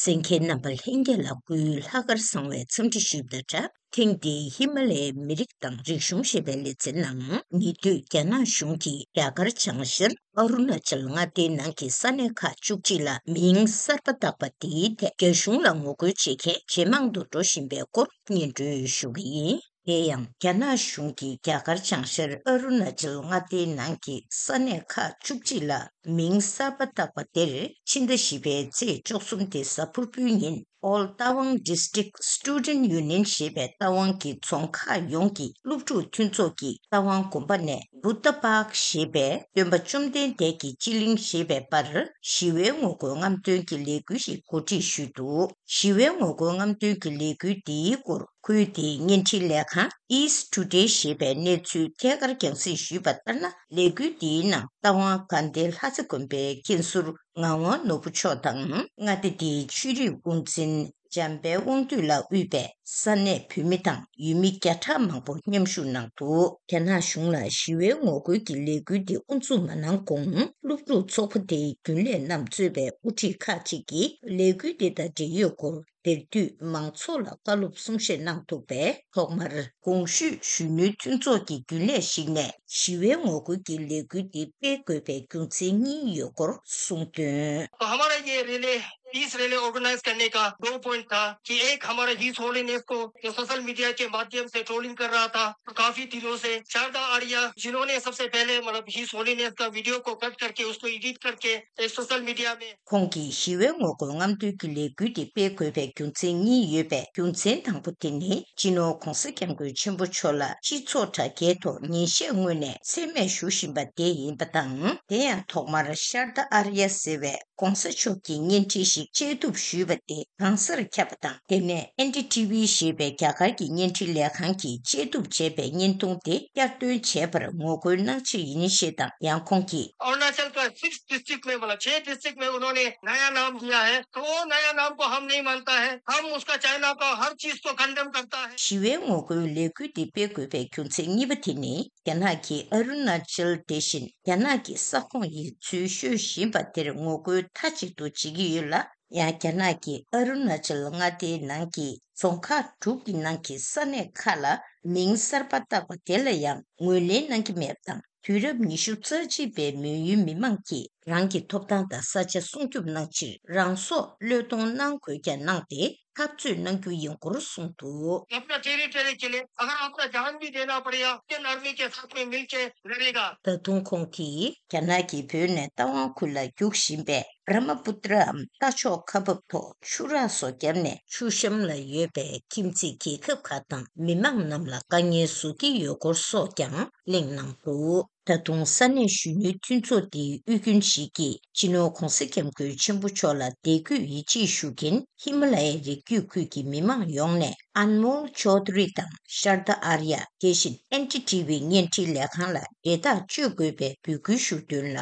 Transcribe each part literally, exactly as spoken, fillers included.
གསན་མཁན་རྣམ་པ་ལྷན་རྒྱས་ལ་སྐུའི་ལྷག་དཀར་བཟང་བའི་འཚམས་འདྲི་ཞུས་པ་དང་སྦྲགས། ཐེངས་འདིའི་ཧི་མ་ལ་ཡའི་མི་རིགས་དང་རིག་གཞུང་ཞེས་པའི་ལེ་ཚན་ནང་ཉེ་དུས་རྒྱ་ནག་གཞུང་གིས་རྒྱ་གར་བྱང་ཤར་ཨ་རུ་ན་ཅལ་མངའ་སྡེའི་ནང་གི་ས་གནས་ཁག་བཅུ་གཅིག་ལ་མིང་གསར་པ་བཏགས་པ་དེའི་ཐད་རྒྱ་གཞུང་ལ་ངོ་རྒོལ་བྱེད་མཁན་ཇེ་མང་དུ་འགྲོ་བཞིན་པའི་སྐོར་སྙན་སྒྲོན་ཞུ་གི་ཡིན། དེ་ཡང་རྒྱ་ནག་གཞུང་གིས་རྒྱ་གར་བྱང་ཤར་ཨ་རུ་ན་ཅལ་མངའ་སྡེའི་ནང་གི་ས་གནས་ཁག་བཅུ་གཅིག་ལ་མིང་གསར་པ་བཏགས་པ་དེར་ཕྱི་ཟླ་བཞི་པའི་ཚེས་བཅུ་གསུམ་སྟེ་གཟའ་ཕུར་བུའི་ཉིན། All Tawang District Student Union ཞེས་པའི་རྟ་དབང་གི་རྫོང་ཁག་ཡོངས་ཀྱི་སློབ་ཕྲུག་མཐུན་ཚོགས་ཀྱིས་རྟ་དབང་དགོན་པ་ནས་བུདྡྷ་པཱརྐ་ཞེས་པའི་སྟོན་པ་བཅོམ་ལྡན་འདས་ཀྱི་སྤྱི་གླིང་ཞེས་པའི་པར་ཞི་བའི་ངོ་རྒོལ་རྔམ་སྟོན་གྱི་ལས་འགུལ་ཞིག་གོ་སྒྲིག་ཞུས་འདུག་ཞི་བའི་ངོ་རྒོལ་རྔམ་སྟོན་གྱི་ལས་འགུལ་འདིའི་སྐོར་ཁུལ་དེའི་བརྙན་འཕྲིན་ལས་ཁང་East Today ཞེས་པས་གནས་ཚུལ་ཐད་ཀར་རྒྱང་སྲིང་ཞུས་པ་ལྟར་ན། ལས་འགུལ་འདིའི་ནང་རྟ་དབང་དགའ་ལྡན་ལྷ་རྩེ་དགོན་པའི་མཁན་ཟུར་ངག་དབང་ནོར་བུ་མཆོག་དང་། མངའ་སྡེ་འདིའི་ཆོས་རིག་དབུ་འཛིན་འཇམ་དཔལ་དབང་འདུས་ལགས་དབུས་པའི་ས་གནས་བོད་མི་དང་ཡུལ་མི་བརྒྱ་ཕྲག་མང་པོ་མཉམ་ཞུགས་གནང་འདུག་རྒྱ་ནག་གཞུང་ལ་ཞི་བའི་ངོ་རྒོལ་གྱི་ལས་འགུལ་འདི་དབུ་འཛུགས་མ་གནང་གོང་། སློབ་ཕྲུག་ཚོགས་པ་དེའི་རྒྱུན་ལས་རྣམས་གཙོས་པའི་དབུ་ཁྲིད་ཁག་ཅིག་གིས་ལས་འགུལ་འདི་དང་འབྲེལ་ཡོད་སྐོར་དེར་འདུས་མང་ཚོགས་ལ་བཀའ་སློབ་གསུང་བཤད་གནང་འདུག་པས། ཐོག་མར་གོང་ཞུས་གཞོན་ནུའི་མཐུན་ཚོགས་ཀྱི་རྒྱུན་ལས་ཤིག་ནས་ཞི་བའི་ངོ་རྒོལ་གྱི་ལས་འགུལ་འདི་སྤེལ་དགོས་པའི་རྒྱུ་མཚན་གཉིས་ཡོད་སྐོར་གསུངས་དོན། तो हमारा ये रिले, पीस रिले ऑर्गेनाइज करने का दो पॉइंट था कि एक, हमारा हिज होलीनेस को जो सोशल मीडिया के माध्यम से ट्रोलिंग कर रहा था काफी दिनों से, शारदा आर्या जिन्होंने सबसे पहले, मतलब, हिज होलीनेस का वीडियो को कट करके उसको एडिट करके एक सोशल मीडिया में ཁོང་གིས་ཞི་བའི་ངོ་རྒོལ་རྔམ་སྟོན་གྱི་ལས་འགུལ་འདི་སྤེལ་དགོས་པའི་རྒྱུ་མཚན་གཉིས་ཡོད་པས། རྒྱུ་མཚན་དང་པོ་དེ་ནི་སྤྱི་ནོར་༧གོང་ས་༧སྐྱབས་མགོན་ཆེན་པོ་མཆོག་ལ་སྤྱི་ཚོགས་དྲ་རྒྱའི་ཐོག་ཉིན་ཤས་སྔོན་ནས་མཚན་སྨད་ཞུ་བཞིན་པ་དེ་ཡིན་པ་དང་། དེ་ཡང་ཐོག་མར་ཤར་ད་ཨར་ཡ་ཟེར་བས་༧གོང་ས་མཆོག་གི་བརྙན་འཕྲིན་ཞིག་བཅད་གཏུབ་ཞུས་པ་དེ་གང་སར་ཁྱབ་པ་དང་། དེ་ནས་ཨེན་ཌི་ཊི་ཝི་ཞེས་པའི་རྒྱ་གར་གྱི་བརྙན་འཕྲིན་ལས་ཁང་གིས་བཅད་གཏུབ་བྱས་པའི་བརྙན་ཐུང་དེ་བསྐྱར་འདོན་བྱས་པར་ངོ་རྒོལ་གནང་ཕྱིར་ཡིན་ཞེས་དང་། ཡང་ཁོང་གིས། अरुणाचल का सिक्स डिस्ट्रिक्ट में, मतलब, छह डिस्ट्रिक्ट में उन्होंने नया नाम दिया है, तो वो नया नाम को हम नहीं मानता है। हम उसका, चाइना का हर चीज को कंडेम करता है। ཞི་བའི་ངོ་རྒོལ་ལས་འགུལ་འདི་སྤེལ་དགོས་པའི་རྒྱུ་མཚན་གཉིས་པ་དེ་ནི། རྒྱ་ནག་གིས་ཨ་རུ་ན་ཅལ་དེ་བཞིན་རྒྱ་ནག་གི་ས་ཁོངས་ཡིན་ཚུལ་ཤོད་བཞིན་པ་དེར་ངོ་རྒོལ་མཐའ་གཅིག་ཏུ་བྱེད་ཀྱི་ཡོད་ལ། ཡང་རྒྱ་ནག་གིས་ཨ་རུ་ན་ཅལ་མངའ་སྡེའི་ནང་གི་རྫོང་ཁག་དྲུག་གི་ནང་གི་ས་གནས་ཁག་ལ་མིང་གསར་པ་བཏགས་པ་དེ་ལ་ཡང་ངོས་ལེན་གནང་གི་མེད་པ་དང་། དུས་རབས་ཉི་ཤུ་རྩ་གཅིག་པའི་མོན་ཡུལ་མི་མང་གིས་རང་གི་ཐོབ་ཐང་དང་ས་ཆ་སྲུང་སྐྱོབ་གནང་ཕྱིར་རང་སྲོག་བློས་གཏོང་གནང་དགོས་ཀྱང་གནང་སྟེ་འཐབ་རྩོད་གནང་རྒྱུ་ཡིན་སྐོར་གསུངས་འདུག། अपना टेरिटरी के लिए अगर अपना जान भी देना पड़ेगा, इंडियन आर्मी के साथ में मिलके लड़ेगा। ད་དུང་ཁོང་གིས་རྒྱ་ནག་གིས་བོད་ནས་རྟ་དབང་ཁུལ་ལ་རྒྱུག་བཞིན་པའི་བྷྲ་མ་པུ་ཏྲའམ་རྟ་མཆོག་ཁ་འབབ་ཐོག་ཆུ་རགས་སོགས་བརྒྱབ་ནས་ཆུ་གཤམ་ལ་ཡོད་པའི་ཁྱིམ་མཚེས་རྒྱལ་ཁབ་ཁག་དང་མི་མང་རྣམས་ལ་དཀའ་ངལ་བཟོ་གི་ཡོད་སྐོར་སོགས་ཀྱང་གླེང་གནང་འདུག། ད་དུང་ས་གནས་གཞོན་ནུའི་མཐུན་ཚོགས་འདིའི་དབུས་རྒྱུན་ཞིག་གིས་སྤྱི་ནོར་༧གོང་ས་༧སྐྱབས་མགོན་ཆེན་པོ་མཆོག་ལ་དད་གུས་ཡིད་ཆེས་ཞུ་མཁན་ཧི་མ་ལ་ཡའི་རི་རྒྱུད་ཁུལ་གྱི་མི་མང་ཡོངས་ནས་ཨན་མོལ་ཅོ་དྷ་རི་དང་ཤར་ད་ཨར་ཡ། དེ་བཞིན་ཨེན་ཌི་ཊི་ཝི་བརྙན་འཕྲིན་ལས་ཁང་ལ་འབྲེལ་ཐག་གཅོད་དགོས་པའི་འབོད་སྐུལ་ཞུ་དོན་ལ།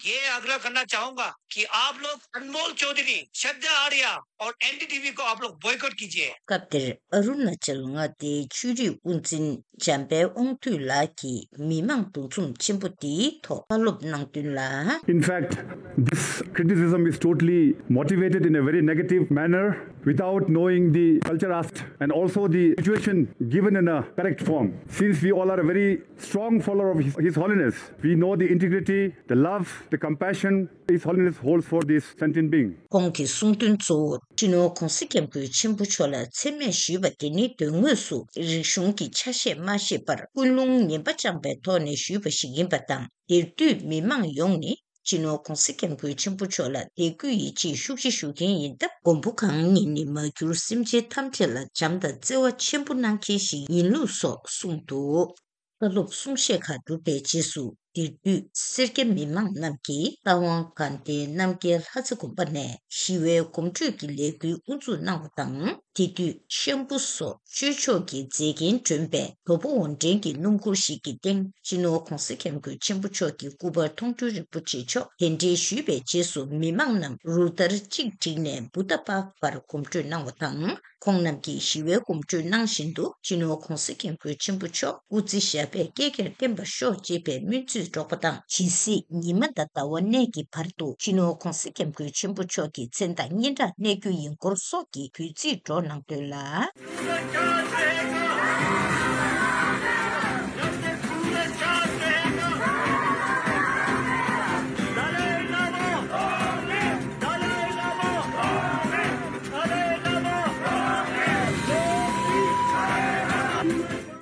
ये आग्रह करना चाहूंगा कि आप लोग अनमोल चौधरी, श्रद्धा आर्या और एनडीटीवी को आप लोग बॉयकॉट कीजिए। སྐབས་དེར་ཨ་རུ་ན་ཅལ་མངའ་སྡེའི་ཆོས་རིག་དབུ་འཛིན་འཇམ་དཔལ་དབང་འདུས་ལགས་ཀྱིས་མི་མང་འདུ་འཛོམས་ཆེན་པོ་འདིའི་ཐོག་བཀའ་སློབ་གནང་དོན་ལ། In fact, this criticism is totally motivated in a very negative manner without knowing the culture aspect and also the situation given in a correct form. Since we all are a very strong follower of His, His Holiness, we know the integrity, the love, the compassion His Holiness holds for this sentient being. ཁོང་གིས་གསུངས་དོན་གཙོ་བོར་སྤྱི་ནོར་༧གོང་ས་༧སྐྱབས་མགོན་ཆེན་པོ་མཆོག་ལ་མཚན་སྨད་ཞུས་པ་དེ་ནི་དོན་དངོས་སུ་རིག་གཞུང་གི་ཆ་ཤས་མ་ཤེས་པར་ཀུན་སློང་ངན་པ་བཅངས་པའི་ཐོག་ནས་ཞུས་པ་ཞིག་ཡིན་པ་དང་། དེར་འདུས་མི་མང་ཡོངས་ནི་སྤྱི་ནོར་༧གོང་ས་༧སྐྱབས་མགོན་ཆེན་པོ་མཆོག་ལ་དད་གུས་ཡིད་ཆེས་ཤུགས་ཆེ་ཞུ་མཁན་ཡིན་སྟབས། མགོན་པོ་གང་ཉིད་ནི་མ་གྱུར་སེམས་ཅན་ཐམས་ཅད་ལ་བྱམས་དང་བརྩེ་བ་ཆེན་པོ་གནང་མཁན་ཞིག་ཡིན་ལུགས་སོགས་གསུངས་འདུག། བཀའ་སློབ་གསུང་བཤད་ཁག་གྲུབ་པའི་རྗེས་སུ། དེར་འདུས་སེར་སྐྱ་མི་མང་རྣམས་ཀྱིས་རྟ་དབང་དགའ་ལྡན་རྣམ་རྒྱལ་ལྷ་རྩེ་དགོན་པ་ནས་ཞི་བའི་གོམ་བགྲོད་ཀྱི་ལས་འགུལ་དབུ་འཛུགས་གནང་བ་དང་། དེ་དུས་ཤམ་བུ་སོགས་ཆོས་ཕྱོགས་ཀྱི་མཛེས་རྒྱན་སྒྲོན་པའི་དོ་པོ་འོར་འདྲེན་གྱི་སྣུམ་འཁོར་ཞིག་གི་སྟེང་སྤྱི་ནོར་༧གོང་ས་༧སྐྱབས་མགོན་ཆེན་པོ་མཆོག་གི་སྐུ་པར་མཐོང་གྲོལ་རིན་པོ་ཆེ་མཆོག་གདན་འདྲེན་ཞུས་པའི་རྗེས་སུ། མི་མང་རྣམས་རུ་སྟར་གཅིག་བསྒྲིགས་ནས་བུདྡྷ་པཱརྐ་བར་གོམ་བགྲོད་གནང་བ་དང་། ཁོང་རྣམས་ཀྱིས་ཞི་བའི་གོམ་བགྲོད་གནང་བཞིན་དུ། སྤྱི་ནོར་༧གོང་ས་༧སྐྱབས་མགོན་ཆེན་པོ་མཆོག་སྐུ་ཚེ་ཞབས་པད་བསྐལ་བརྒྱར་བརྟན་པར་ཤོག་ཅེས་པའི་སྨོན་ཚིག་འགྲོགས་པ་དང་ཇི་སྲིད་ཉི་མ་དང་ཟླ་བ་གནས་ཀྱི་བར་དུ་སྤྱི་ནོར་༧གོང་ས་༧སྐྱབས་མགོན་ཆེན་པོ་མཆོག་གི་མཚན་དང་སྙན་གྲགས་གནས་རྒྱུ་ཡིན་སྐོར་སོགས་ཀྱི་འབོད་ཚིག་སྒྲོག་གནང་དོན་ལ།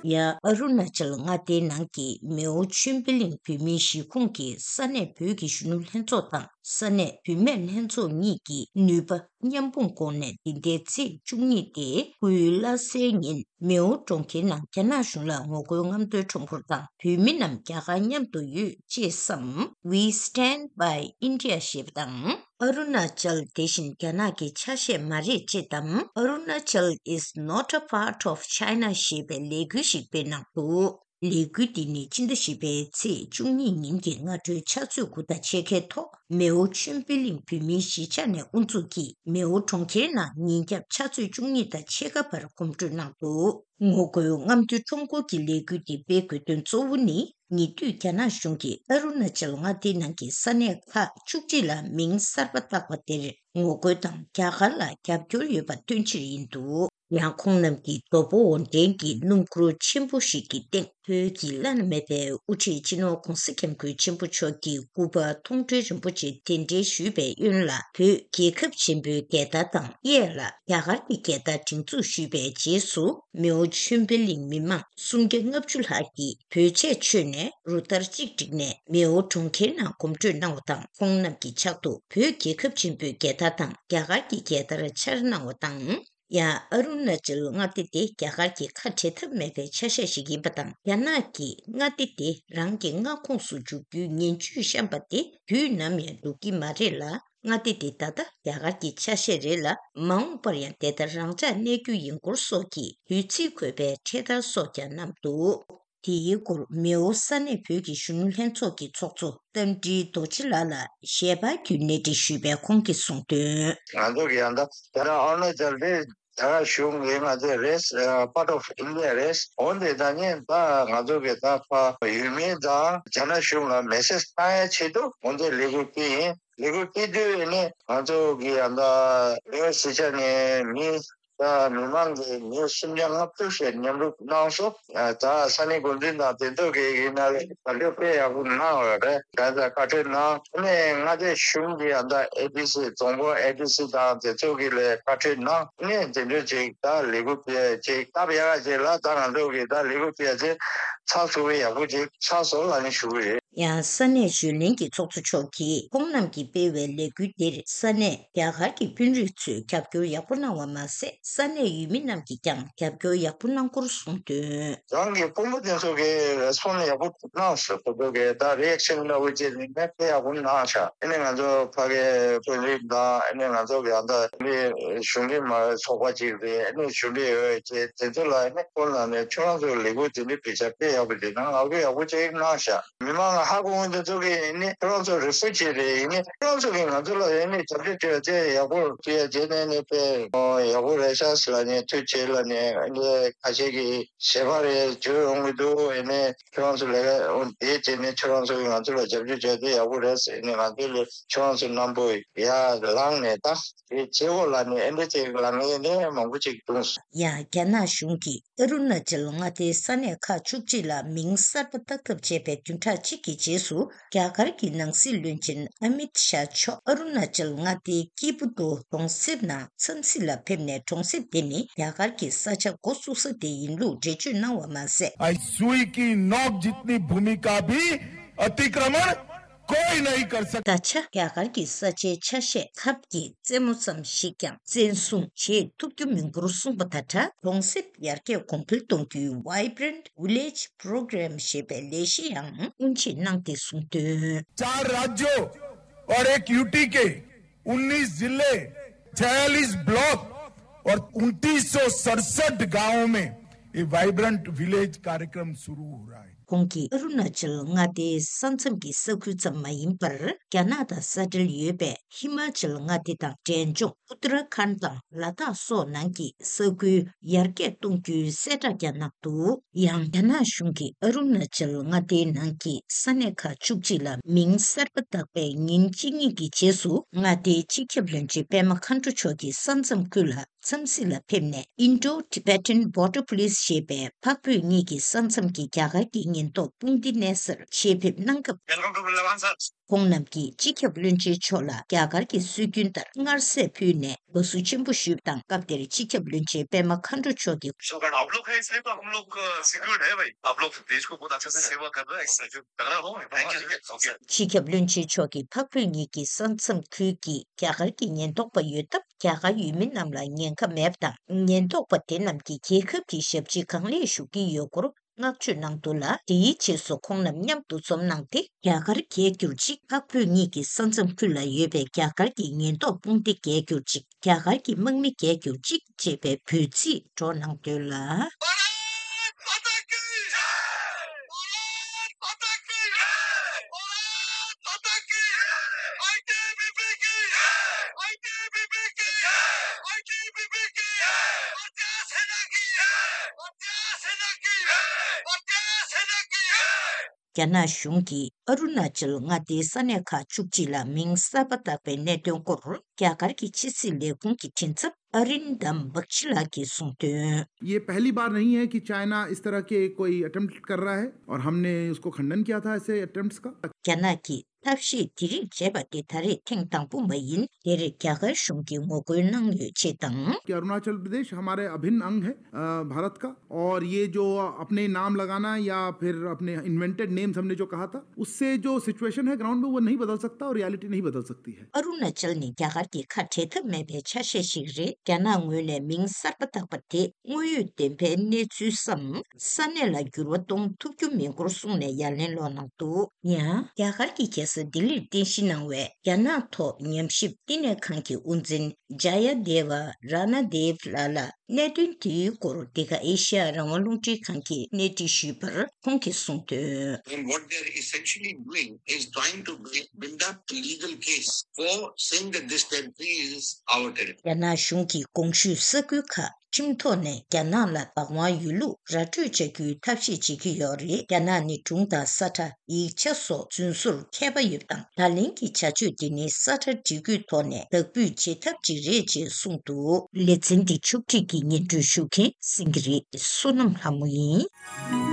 ཡང་ཨ་རུ་ན་ཅལ་མངའ་སྡེའི་ནང་གི་མེའོ་ཆོས་འཕེལ་གླིང་བོད་མིའི་གཞིས་ཁོངས་ཀྱི་ས་གནས་བོད་ཀྱི་གཞོན་ནུ་ལྷན་ཚོགས་དང་ས་གནས་བུད་མེད་ལྷན་ཚོགས་གཉིས་ཀྱི་ནུས་པ་མཉམ་སྤུངས་སྒོ་ནས་འདི་ཟླའི་ཚེས་བཅུ་གཉིས་ཏེ་སྐུའི་བླ་གཟའི་ཉིན་མེའོ་གྲོང་ཁྱེར་ནང་རྒྱ་ནག་གཞུང་ལ་ངོ་རྒོལ་རྔམ་སྟོན་ཁྲོམ་སྐོར་དང་བོད་མི་རྣམས་རྒྱ་གར་མཉམ་དུ་ཡོད་ཅེས་སམ། We Stand by India ཞེས་པ་དང་། ཨ་རུ་ན་ཅལ་དེ་བཞིན་རྒྱ་ནག་གི་ཆ་ཤས་མ་རེད་ཅེས་དང་། Arunachal is not a part of China ཞེས་པའི་ལས་འགུལ་ཞིག་སྤེལ་གནང་འདུག་ལས་འགུལ་འདི་ནི་ཕྱི་ཟླ་བཞི་པའི་ཚེས་བཅུ་གཉིས་ཉིན་གྱི་སྔ་དྲོའི་ཕྱག་ཚོད་དགུ་དང་ཕྱེད་ཀའི་ཐོག་མེའོ་ཆོས་འཕེལ་གླིང་བོད་མིའི་གཞིས་ཆགས་ནས་དབུ་འཛུགས་ཀྱིས་མེའོ་གྲོང་ཁྱེར་ནང་ཉིན་རྒྱབ་ཕྱག་ཚོད་བཅུ་གཉིས་དང་ཕྱེད་ཀ་བར་གོམ་བགྲོད་གནང་འདུག་ངོ་རྒོལ་རྔམ་སྟོན་ཁྲོམ་སྐོར་གྱི་ལས་འགུལ་འདི་སྤེལ་དགོས་དོན་གཙོ་བོ་ནི། ཉེ་དུས་རྒྱ་ནག་གཞུང་གིས་ཨ་རུ་ན་ཅལ་མངའ་སྡེའི་ནང་གི་ས་གནས་ཁག་བཅུ་གཅིག་ལ་མིང་གསར་པ་བཏགས་པ་དེར་ངོ་རྒོལ་དང་རྒྱ་གར་ལ་རྒྱབ་སྐྱོར་ཡོད་པ་སྟོན་ཕྱིར་ཡིན་འདུག་ཡང་ཁོང་རྣམས་ཀྱིས་རྡོ་སྦོ་འོར་འདྲེན་གྱི་སྣུམ་འཁོར་ཆེན་པོ་ཞིག་གི་སྟེང་བོད་ཀྱི་བླ་ན་མེད་པའི་དབུ་ཁྲིད་སྤྱི་ནོར་༧གོང་ས་༧སྐྱབས་མགོན་ཆེན་པོ་མཆོག་གི་སྐུ་པར་མཐོང་གྲོལ་རིན་པོ་ཆེ་གདན་འདྲེན་ཞུས་པའི་གཡོན་ལ་བོད་རྒྱལ་ཁབ་ཆེན་པོའི་རྒྱལ་དར་དང་གཡས་ལ་རྒྱ་གར་གྱི་རྒྱལ་དར་སྒྲེང་འཛུགས་ཞུས་པའི་རྗེས་སུ། མེའོ་ཆོས་འཕེལ་གླིང་མི་མང་སུམ་བརྒྱ་ལྔ་བཅུ་ལྷག་གིས་བོད་ཆས་མཆོད་ནས་རུ་སྟར་གཅིག་བསྒྲིགས་ནས་མེའོ་གྲོང་ཁྱེར་ནང་གོམ་བགྲོད་གནང་བ་དང་། ཁོང་རྣམས་ཀྱི་ཕྱག་ཏུ་བོད་རྒྱལ་ཁབ་ཆེན་པོའི་རྒྱལ་དར་དང་རྒྱ་གར་གྱི་རྒྱལ་དར་འཕྱར་གནང་བ་དང་། ཡང་ཨ་རུ་ན་ཅལ་མངའ་སྡེ་དེ་རྒྱ་གར་གྱི་ཁ་བྲལ་ཐབས་མེད་པའི་ཆ་ཤས་ཤིག་ཡིན་པ་དང་། རྒྱ་ནག་གིས་མངའ་སྡེ་དེ་རང་གི་མངའ་ཁོངས་སུ་འཇུག་རྒྱུའི་ངན་ཇུས་བཤམས་པ་དེ་དུས་ནམ་ཡང་འགྲུབ་ཀྱི་མ་རེད་ལ། མངའ་སྡེ་དེ་ད་ལྟ་རྒྱ་གར་གྱི་ཆ་ཤས་རེད་ལ། མ་འོངས་པར་ཡང་དེ་ལྟར་རང་འཇགས་གནས་རྒྱུ་ཡིན་སྐོར་སོགས་ཀྱི་འབོད་ཚིག་འཁོད་པའི་འཕྲེད་དར་སོགས་ཀྱང་བསྣམས་འདུག་དེའི་སྐོར་མེའོ་ས་གནས་བོད་ཀྱི་གཞོན་ནུ་ལྷན་ཚོགས་ཀྱི་ཚོགས་གཙོ་རྟ་མགྲིན་རྡོ་རྗེ་ལགས་ལ་ཞལ་པར་བརྒྱུད་གནས་འདྲི་ཞུས་པས་ཁོང་གིས་གསུངས་དོན། ང་ཚོ་གི་ཡང་ད་ད་ལྟ་ཨ་རུ་ན་ཅལ་དེ་རྒྱ་གར་གཞུང་གི་ང་ཚོའི་རེད། Part of India རེད། འོན་ཏེ་ད་ནི་ད་ང་ཚོ་གི་ད་ཕ་ཡུལ་མི་དང་རྒྱ་ནག་གཞུང་ལ་མེ་སེ་ཇི་བཏང་ཡ་ཆེད་དུ་འོན་ཏེ་ལས་འགུལ་སྤེལ་ཡིན། ལས་འགུལ་སྤེལ་དུས་ནི་ང་ཚོ་གི་ཡང་ད་ལེའོ་སི་ཆ་ནས་མི་ད་མི་མང་གི་མི་སུམ་བརྒྱ་ལྔ་བཅུ་ཞིག་མཉམ་རུབ་གནང་སོང་། ད་ས་གནས་འགོ་འཛིན་དང་དེ་ཚོ་གི་ཡིན་ན་ལས་ད་ལེའོ་དཔེ་ཡག་པོ་གནང་བ་རེད། ད་ད་བཀའ་འཁྲོལ་གནང་ནས་མངའ་སྡེ་གཞུང་གི་ཡང་ད་ཨེ་ཌི་སི་རྫོང་ཁོངས་ཨེ་ཌི་སི་དང་དེ་ཚོ་གི་ལས་བཀའ་འཁྲོལ་གནང་ནས་དེ་འདྲ་ཅིག་ད་ལས་འགུལ་སྤེལ་ཅིག་སྟབས་ཡག་ཅིག་ལ་ད་ང་ཚོ་གི་ད་ལས་འགུལ་སྤེལ་ཚེ་ཚགས་ཚུད་པོ་ཡག་པོ་ཅིག་ཆགས་སོང་ལབ་ནས་ཞུ་གི་ཡོད། ཡང་ས་གནས་གཞོན་ལྷན་གྱི་ཚོགས་གཙོ་མཆོག་གིས་ཁོང་རྣམས་ཀྱིས་སྤེལ་བའི་ལས་འགུལ་འདིར་ས་གནས་རྒྱ་གར་གྱི་དཔོན་རིགས་ཚོས་རྒྱབ་སྐྱོར་ཡག་པོ་གནང་བ་མ་ཟད། ས་གནས་ཡུལ་མི་རྣམས་ཀྱིས་ཀྱང་རྒྱབ་སྐྱོར་ཡག་པོ་གནང་སྐོར་གསུངས་དོན། རང་གི་དཔོན་པོ་དེ་ཚོ་གིས་རེ་སི་པོན་ཡག་པོ་གནང་སོང་། ཁོ་ཚོ་གིས་ད་རི་ཨེག་ཤན་འདྲ་བོ་ཅིག་ནི་དཔེ་ཡག་པོ་གནང་ཤག་ཨ་ནི་ང་ཚོ་ཕ་གིའི་དཔོན་རིགས་དང་ཨ་ནི་ང་ཚོ་གི་ཡང་ད་ནི་གཞུང་འབྲེལ་མ་ཚོགས་པ་ཅིག་རེད། ཨ་ནི་གཞུང་འབྲེལ་ཡོད་ཅེས་དེ་ཚོ་ལ་ཨ་ནི་ཁོང་རྣམས་ནས་ཁྱོད་རང་ཚོ་ལས་འགུལ་དེ་འདྲ་སྤེལ་ཤག་དཔེ་ཡག་པོ་འདུག་ན་ང་ཚོ་ཡག་པོ་ཅིག་གནང་ཤག་མི་མང་ལ་ཧ་གོ་འོང་དུས་ཚོད་ཀྱི་ཡིན་ནི་ཁྱོད་རང་ཚོ་རི་ཕུ་ཇི་རེད། ཡིན་ནི་ཁྱོད་རང་ཚོ་གིས་ང་ཚོ་ལ་ཡིན་ནི་རྒྱབ་སྐྱོར་བྱས་ཏེ་ཡག་པོ་བྱས་རྗེས་ནས་ནི་དཔེ་ཡག་པོ་རེད་ཤག་ཟེར་ལབ་ནས་ཐུགས་རྗེ་ཆེ་ལབ་ནས་ཨ་ནི་ཁ་ཤས་ཀྱིས་ཞལ་པར་རེ་བརྗོད་ཡོང་གི་འདུག་ཨ་ནི་ཁྱོད་རང་ཚོ་ལས་ཀ་འོང་དེའི་རྗེས་ནས་ཁྱོད་རང་ཚོ་གིས་ང་ཚོ་ལ་རྒྱབ་སྐྱོར་བྱས་ཏེ་ཡག་པོ་རེད་ཟེར་ནས་ང་ཚོ་ལ་ཁྱོད་རང་ཚོ་རྣམ་པ་ཡར་ལངས་ནས་ད། དེ་བྱེད་དགོས་ལབ་ནས་ཨེ་འདྲ་ཅིག་ལབ་མཁན་ནི་མང་པོ་ཅིག་འདུག་ཡང་རྒྱ་ནག་གཞུང་གིས་ཨ་རུ་ན་ཅལ་མངའ་སྡེའི་ས་གནས་ཁག་བཅུ་གཅིག་ལ་མིང་གསར་པ་བཏགས་ཐབས་བྱས་པའི་བདུན་ཕྲག་གཅིག་གི་རྗེས་སུ། རྒྱ་གར་གྱི་ནང་སྲིད་བློན་ཆེན་ཨ་མིད་ཤཱ་མཆོག་ཨ་རུ་ན་ཅལ་མངའ་སྡེའི་སྐྱིད་པོ་ཏོ་གྲོང་གསེབ་ནང་འཚམས་གཟིགས་ལ་ཕེབས་ནས། གྲོང་གསེབ་དེ་ནི་རྒྱ་གར་གྱི་ས་ཆ་འགོ་བཙུགས་ས་དེ་ཡིན་ལུགས་འགྲེལ་བརྗོད་གནང་བ་མ་ཟད། आज सुई की नोक जितनी भूमि का भी अतिक्रमण कोई नहीं कर सकता। ད་ཆ་རྒྱ་གར་གྱི་ས་ཆའི་ཆ་ཤས་ཁབ་ཀྱི་རྩེ་མོ་ཙམ་ཞིག་ཀྱང་བཙན་བཟུང་བྱེད་ཐུབ་རྒྱུ་མིན་སྐོར་གསུངས་པ་དང་སྦྲགས། གྲོང་གསེབ་ཡར་རྒྱས་གོང་འཕེལ་གཏོང་རྒྱུའི་Vibrant Village Program ཞེས་པའི་ལས་གཞི་ཡང་དབུ་འབྱེད་གནང་སྟེ་གསུངས་དོན། चार राज्यों और एक यूटी के उन्नीस जिले, छियालीस ब्लॉक और उनतीस सौ सड़सठ गांवों में ये वाइब्रेंट विलेज कार्यक्रम शुरू हो रहा है। ཁོང་གིས་ཨ་རུ་ན་ཅལ་མངའ་སྡེའི་ས་མཚམས་ཀྱི་ས་ཁུལ་ཙམ་མ་ཡིན་པར། རྒྱ་ནག་དང་ས་འབྲེལ་ཡོད་པའི་ཧི་མ་ཅལ་མངའ་སྡེ་དང་འབྲས་ལྗོངས་ཨུ་ཏ་ར་ཁཱན་དང་ལ་དྭགས་སོགས་ནང་གི་ས་ཁུལ་ཡར་རྒྱས་གཏོང་རྒྱུའི་གསལ་བསྒྲགས་ཀྱང་གནང་འདུག། ཡང་རྒྱ་ནག་གཞུང་གིས་ཨ་རུ་ན་ཅལ་མངའ་སྡེའི་ནང་གི་ས་གནས་ཁག་བཅུ་གཅིག་ལ་མིང་གསར་པ་བཏགས་པའི་ཉིན་གཅིག་གཉིས་ཀྱི་རྗེས་སུ། མངའ་སྡེའི་སྤྱི་ཁྱབ་བློན་ཆེན་པད་མ་མཁའ་འགྲོ་མཆོག་གིས་ས་མཚམས་ཁུལ་ལ་འཚམས་གཟིགས་ལ་ཕེབས་ནས། Indo-Tibetan Border Police ཞེས་པའི་འཕགས་བོད་གཉིས་ཀྱི་ས་མཚམས་ཀྱི་རྒྱ་གར་གྱི་ཉེན་རྟོག་དཔུང་སྡེ་གནས་སར་ཆེད་ཕེབས་གནང་སྐབས། Welcome to Lavan, sir. ཁོང་རྣམས་ཀྱིས་སྤྱི་ཁྱབ་བློན་ཆེན་མཆོག་ལ་རྒྱ་གར་གྱི་སྲོལ་རྒྱུན་ལྟར་མངར་ཟས་ཕུལ་ནས་དགའ་བསུ་ཆེན་པོ་ཞུས་པ་དང་། སྐབས་དེར་སྤྱི་ཁྱབ་བློན་ཆེན་པད་མ་མཁའ་འགྲོ་མཆོག་གིས། शुक्र है, आप लोग हैं इसलिए तो हम लोग सिक्योर्ड है भाई। आप लोग देश को बहुत अच्छे से सेवा कर रहे हैं। एक सहयोग तगड़ा हो। Thank you. ओके। སྤྱི་ཁྱབ་བློན་ཆེན་མཆོག་གིས་འཕགས་བོད་གཉིས་ཀྱི་ས་མཚམས་ཁུལ་གྱི་རྒྱ་གར་གྱི་ཉེན་རྟོག་པ་ཡོད་སྟབས། རྒྱ་གར་ཡུལ་མི་རྣམས་ལ་ཉེན་ཁ་མེད་པ་དང་། ཉེན་རྟོག་པ་དེ་རྣམས་ཀྱིས་རྒྱལ་ཁབ་ཀྱི་ཞབས་ཕྱི་གང་ལེགས་ཞུ་གི་ཡོད་སྐོར་བསྔགས་བརྗོད་གནང་འདུག་ལ། དེའི་རྗེས་སུ་ཁོང་རྣམས་མཉམ་དུ་འཛོམས་གནང་སྟེ། རྒྱ་གར་རྒྱལ་གྱུར་ཅིག། འཕགས་བོད་གཉིས་ཀྱི་ས་མཚམས་ཁུལ་ལ་ཡོད་པའི་རྒྱ་གར་གྱི་ཉེན་རྟོག་དཔུང་སྡེ་རྒྱལ་གྱུར་ཅིག། རྒྱ་གར་གྱི་དམག་མི་རྒྱལ་གྱུར་ཅིག་ཅེས་པའི་འབོད་ཚིག་སྒྲོག་གནང་འདུག་ལ། རྒྱ་ནག་གཞུང་གིས་ཨ་རུ་ན་ཅལ་མངའ་སྡེའི་ས་གནས་ཁག་བཅུ་གཅིག་ལ་མིང་གསར་པ་བཏགས་པའི་གནད་དོན་སྐོར། རྒྱ་གར་གྱི་ཕྱི་སྲིད་ལས་ཁུངས་ཀྱི་མགྲིན་ཚབ་ཨ་རིན་དམ་བག་ཆི་ལགས་ཀྱིས་གསུངས་དོན། ये पहली बार नहीं है कि चाइना इस तरह के कोई अटेम्प्ट कर रहा है और हमने उसको खंडन किया था ऐसे अटेम्प्ट्स का। རྒྱ་ནག་གིས་ཐབས་ཤེས་དེ་རིགས་བྱས་པ་དེ་ད་རེས་ཐེངས་དང་པོ་མ་ཡིན། དེར་རྒྱ་གར་གཞུང་གིས་ངོ་རྒོལ་གནང་ཡོད་ཅེས་དང་། कि अरुणाचल प्रदेश हमारे अभिन्न अंग है, अ, भारत का। और ये जो अपने नाम लगाना या फिर अपने इन्वेंटेड नेम्स हमने जो कहा था, उससे जो सिचुएशन है ग्राउंड में, वो नहीं बदल सकता और रियलिटी नहीं बदल सकती है। ཨ་རུ་ན་ཅལ་ནི་རྒྱ་གར་གྱི་ཁ་བྲལ་ཐབས་མེད་པའི་ཆ་ཤས་ཤིག་རེད། རྒྱ་ནག་ངོས་ནས་མིང་གསར་པ་བཏགས་པ་དེ་དངོས་ཡོད་བདེན་པའི་གནས་ཚུལ་སམ། ས་གནས་ལ་འགྱུར་བ་གཏོང་ཐུབ་རྒྱུ་མིན་སྐོར་གསུངས་ནས་ཡ་ལན་སློག་གནང་འདུག། ཡང་རྒྱ་གར་གྱི་རྒྱལ་ས་ལྡི་ལིར་རྟེན་གཞི་གནང་བའི་རྒྱ་ནག་ཐོག་ཉམས་ཞིབ་བསྟི་གནས་ཁང་གི་དབུ་འཛིན་ཇ་ཡ་དེ་བ་ར་ན་དེབ་ལགས་ལ། གནད་དོན་དེའི་སྐོར་འདི་ག་ཨེ་ཤ་ཡ་རང་དབང་རླུང་འཕྲིན་ཁང་གིས་གནས་འདྲི་ཞུས་པར། ཁོང་གིས་གསུངས་དོན། And what they are essentially doing is trying to build, build up a legal case for saying that this territory is our territory. རྒྱ་ནག་གཞུང་གིས་གོང་ཞུས་ས་ཁུལ་ཁག་ཁྲིམས་ཐོག་ནས་རྒྱ་ནག་ལ་བདག་དབང་ཡོད་ལུགས་ར་སྤྲོད་བྱ་རྒྱུའི་ཐབས་ཤེས་བྱེད་ཀྱི་ཡོད་རེད། རྒྱ་ནག་ནི་སྒྲུང་དང་ས་ཁྲ། ཡིག་ཆ་སོགས་རྫུན་བཟོར་མཁས་པ་ཡོད་པ་དང་། ད་ལན་གྱི་བྱ་སྤྱོད་འདི་ནི་ས་ཁྲ་སྒྲིག་བཀོད་ཐོག་ནས་དག་འབུད་བྱེད་ཐབས་ཅིག་རེད་ཅེས་གསུངས་འདུག། ལེ་ཚན་འདི་ཕྱོགས་སྒྲིག་གིས་སྙན་སྒྲོན་ཞུ་མཁན་སེང་གེ་རི་བསོད་ནམས་ལྷ་མོ་ཡིན།